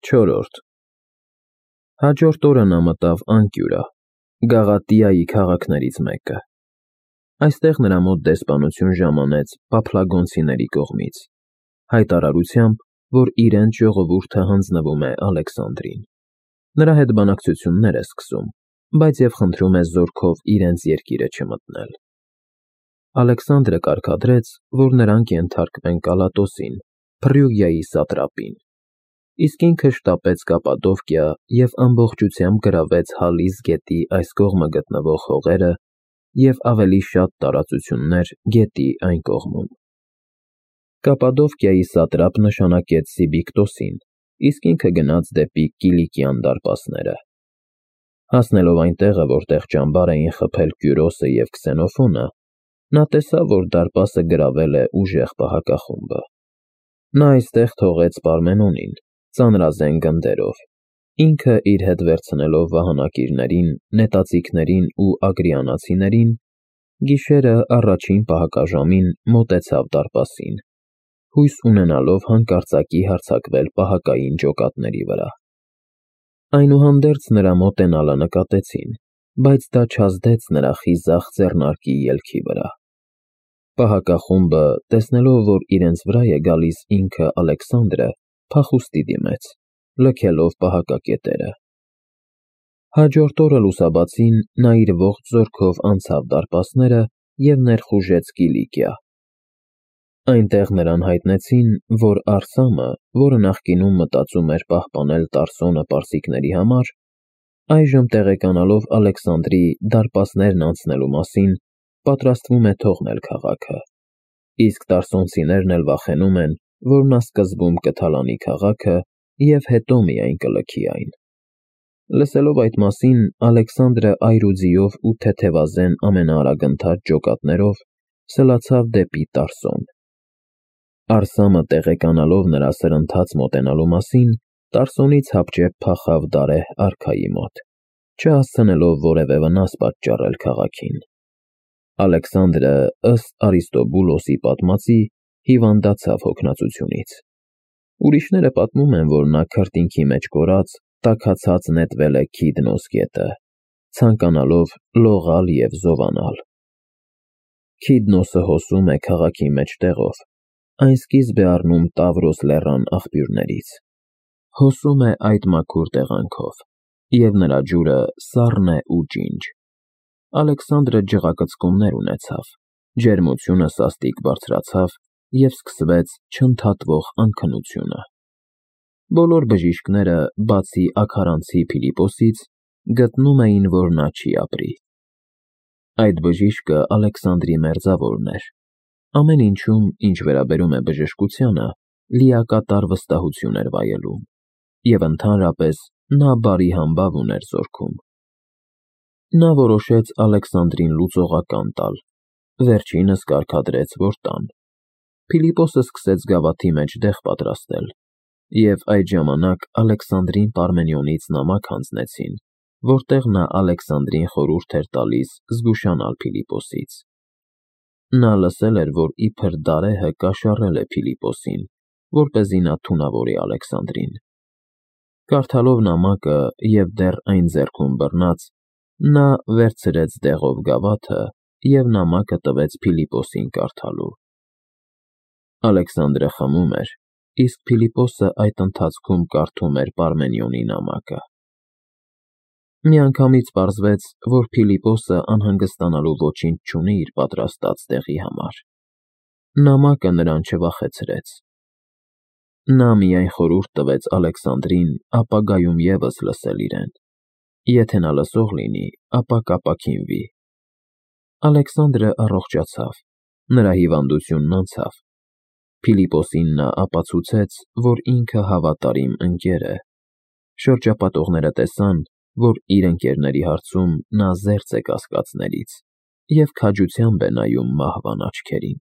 4. Հաջորդ օրը նա մտավ Անկյուրա, Գաղատիայի քաղաքներից մեկը։ Այստեղ նրա մոտ դեսպանություն ժամանեց Պափլագոնցիների կողմից, հայտարարությամբ, որ իրենց ժողովուրդը հանձնվում է Ալեքսանդրին։ Նրա հետ բանակցություններ է սկսում, բայց և խնդրում է զորքով իրենց երկիրը չմտնել։ Ալեքսանդրը կարգադրեց, որ նրանք ենթարկվեն Կալատոսին, Փրիուգիայի սատրապին, իսկ ինքը շտապեց Կապադովկիա և ամբողջությամբ գրավեց Հալիս գետի այս կողմը գտնվող հողերը և ավելի շատ տարածություններ գետի այն կողմում։ Կապադովկիայի սատրապ նշանակեց Սիբիկտոսին, իսկ ինքը գնաց դեպի Կիլիկիան դարպասները։ Հասնելով այն տեղը, որտեղ ճամբար էին խփել Կյուրոսը և Քսենոֆոնը, նա տեսավ, որ դարպասը գրավել է ուժեղ պահակախումբը։ Նա այստեղ թողեց Պարմենոնին, ծանրազեն գնդերով, ինքը իր հետ վերցնելով վահանակիրներին, նետաձիգներին ու ագրիանացիներին, գիշերը առաջին պահակաժամին մոտեցավ դարպասին, հույս ունենալով հանկարծակի հարձակվել պահակային ջոկատների վրա։ Այնուհանդերձ նրա մոտենալը նկատեցին, բայց դա չազդեց նրա խիզախ ձեռնարկի ելքի վրա։ Պահակախումբը, տեսնելով, որ իրենց վրա է գալիս ինքը Ալեքսանդրը, փախուստի դիմեց, լքելով պահակակետերը։ Հաջորդ օրը լուսաբացին նա իր ողջ զորքով անցավ դարպասները և ներխուժեց Կիլիկիա։ Այնտեղ նրան հայտնեցին, որ Արսամը, որը նախկինում մտածում էր պահպանել Տարսոնը պարսիկների համար, այժմ տեղեկանալով Ալեքսանդրի դարպասներն անցնելու մասին, պատրաստվում է թողնել քաղաքը, իսկ տարսոնցիներն էլ վախենում են, որ նա սկզբում կթալանի քաղաքը և հետո միայն կլքի այն։ Լսելով այդ մասին, Ալեքսանդրը այրուձիով ու թեթևազեն ամենաարագընթաց ջոկատներով սլացավ դեպի Տարսոն։ Արսամը տեղեկանալով նրա սրընթաց մոտենալու մասին, Տարսոնից հապճեպ փախավ Դարեհ արքայի մոտ, չհասցնելով որևէ վնաս պատճառել քաղաքին։ Ալեքսանդրը, ըստ Արիստոբուլոսի պատմածի, հիվանդացավ հոգնածությունից։ Ուրիշները պատմում են, որ նա քրտինքի մեջ կորած, տաքացած նետվել է Քիդնոս գետը, ցանկանալով լողալ և զովանալ։ Քիդնոսը հոսում է քաղաքի մեջտեղով, այն սկիզբ է առնում Տավրոս լեռան աղբյուրներից։ Հոսում է այդ մաքուր տեղանքով, և նրա ջուրը սառն է ու ջինջ։ Ալեքսանդրը ջղակծկումներ ունեցավ, ջերմությունը սաստիկ բարձրացավ և սկսվեց չընդհատվող անքնությունը։ Բոլոր բժիշկները, բացի աքարանցի Փիլիպոսից, գտնում էին, որ նա չի ապրի։ Այդ բժիշկը Ալեքսանդրի մերձավորն էր, ամեն ինչում, ինչ վերաբերում է բժշկությանը, լիակատար վստահություն էր վայելում, և ընդհանրապես նա բարի համբավ ուներ զորքում։ Նա որոշեց Ալեքսանդրին լուծողական տալ, վերջինս կարգադրեց, որ տան։ Փիլիպոսը սկսեց գավաթի մեջ դեղ պատրաստել, և այդ ժամանակ Ալեքսանդրին Պարմենիոնից նամակ հանձնեցին, որտեղ նա Ալեքսանդրին խորհուրդ էր տալիս զգուշանալ Փիլիպոսից։ Նա լսել էր, որ իբր Դարեհը կաշառել է Փիլիպոսին, որպեսզի նա թունավորի Ալեքսանդրին։ Կարդալով նամակը և դեռ այն ձեռքում բռնած, նա վերցրեց դեղով գավաթը և նամակը տվեց Փիլիպոսին կարդալու։ Ալեքսանդրը խմում էր, իսկ Փիլիպոսը այդ ընթացքում կարդում էր Պարմենիոնի նամակը։ Միանգամից պարզվեց, որ Փիլիպոսը անհանգստանալու ոչինչ չունի իր պատրաստած դեղի համար։ Նամակը նրան չվախեցրեց։ Նա միայն խորհուրդ տվեց Ալեքսանդրին ապագայում ևս լսել իրեն։ Եթե նա լսող լինի, ապա կապաքինվի։ Ալեքսանդրը առողջացավ, նրա հիվանդությունն անցավ։ Փիլիպոսին նա ապացուցեց, որ ինքը հավատարիմ ընկեր է։ Շրջապատողները տեսան, որ իր ընկերների հարցում նա զերծ է կասկածներից և քաջությամբ է նայում մահվան աչքերին։